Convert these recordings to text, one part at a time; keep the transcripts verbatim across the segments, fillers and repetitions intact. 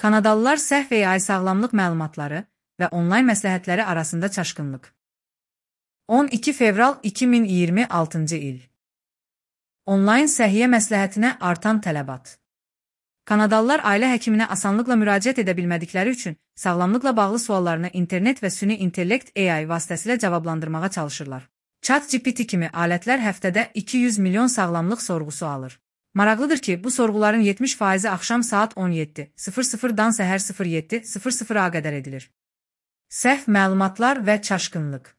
Kanadalılar səhv A I sağlamlıq məlumatları və onlayn məsləhətləri arasında çaşqınlıq. on iki fevral iki min iyirmi altıncı il. Onlayn səhiyyə məsləhətinə artan tələbat. Kanadalılar ailə həkiminə asanlıqla müraciət edə bilmədikləri üçün sağlamlıqla bağlı suallarını internet və süni intellekt A I vasitəsilə cavablandırmağa çalışırlar. ChatGPT kimi alətlər həftədə iki yüz milyon sağlamlıq sorğusu alır. Maraqlıdır ki, bu sorğuların yetmiş faizi axşam saat on yeddi sıfır sıfırdan səhər sıfır yeddi sıfır sıfıra qədər edilir. Səhv məlumatlar və çaşqınlıq.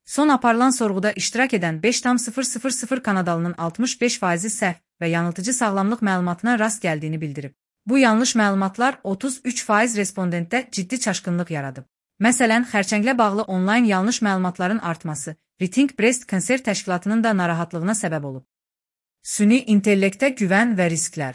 Son aparılan sorğuda iştirak edən beş tam sıfır sıfır sıfır Kanadalının altmış beş faizi səhv və yanıltıcı sağlamlıq məlumatına rast gəldiyini bildirib. Bu yanlış məlumatlar otuz üç faiz respondentdə ciddi çaşqınlıq yaradıb. Məsələn, xərçənglə bağlı onlayn yanlış məlumatların artması Rethink Breast Cancer təşkilatının da narahatlığına səbəb olub. Süni intellektə güvən və risklər.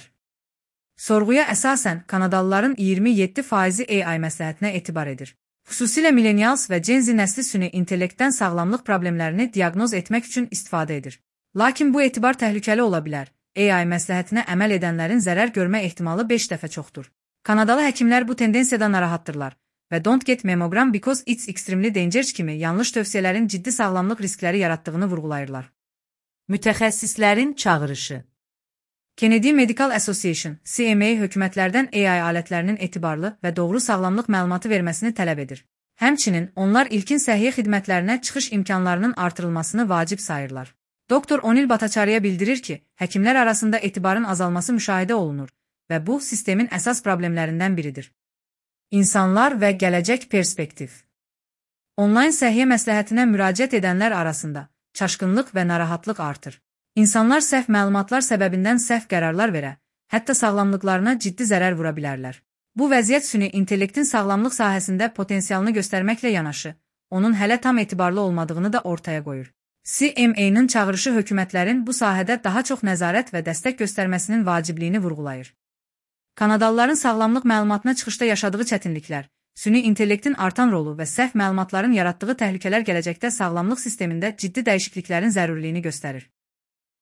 Sorğuya əsasən Kanadalıların iyirmi yeddi faizi A I məsləhətinə etibar edir. Xüsusilə millenials və Gen Z nəsli süni intellektdən sağlamlıq problemlərini diaqnoz etmək üçün istifadə edir. Lakin bu etibar təhlükəli ola bilər. A I məsləhətinə əməl edənlərin zərər görmə ehtimalı beş dəfə çoxdur. Kanadalı həkimlər bu tendensiyadan narahatdırlar və Don't Get Mammogram Because It's Extremely Dangerous kimi yanlış tövsiyələrin ciddi sağlamlıq riskləri yaratdığını vurğulayırlar. Mütəxəssislərin çağırışı. Kennedy Medical Association, C M A hökumətlərdən A I alətlərinin etibarlı və doğru sağlamlıq məlumatı verməsini tələb edir. Həmçinin onlar ilkin səhiyyə xidmətlərinə çıxış imkanlarının artırılmasını vacib sayırlar. Doktor Onil Bhattacharya bildirir ki, həkimlər arasında etibarın azalması müşahidə olunur və bu sistemin əsas problemlərindən biridir. İnsanlar və gələcək perspektiv. Onlayn səhiyyə məsləhətinə müraciət edənlər arasında çaşqınlıq və narahatlıq artır. İnsanlar səhv məlumatlar səbəbindən səhv qərarlar verə, hətta sağlamlıqlarına ciddi zərər vura bilərlər. Bu vəziyyət süni intellektin sağlamlıq sahəsində potensialını göstərməklə yanaşı, onun hələ tam etibarlı olmadığını da ortaya qoyur. C M A-nın çağırışı hökumətlərin bu sahədə daha çox nəzarət və dəstək göstərməsinin vacibliyini vurğulayır. Kanadalıların sağlamlıq məlumatına çıxışda yaşadığı çətinliklər, süni intellektin artan rolu və səhv məlumatların yaratdığı təhlükələr gələcəkdə sağlamlıq sistemində ciddi dəyişikliklərin zərurliyini göstərir.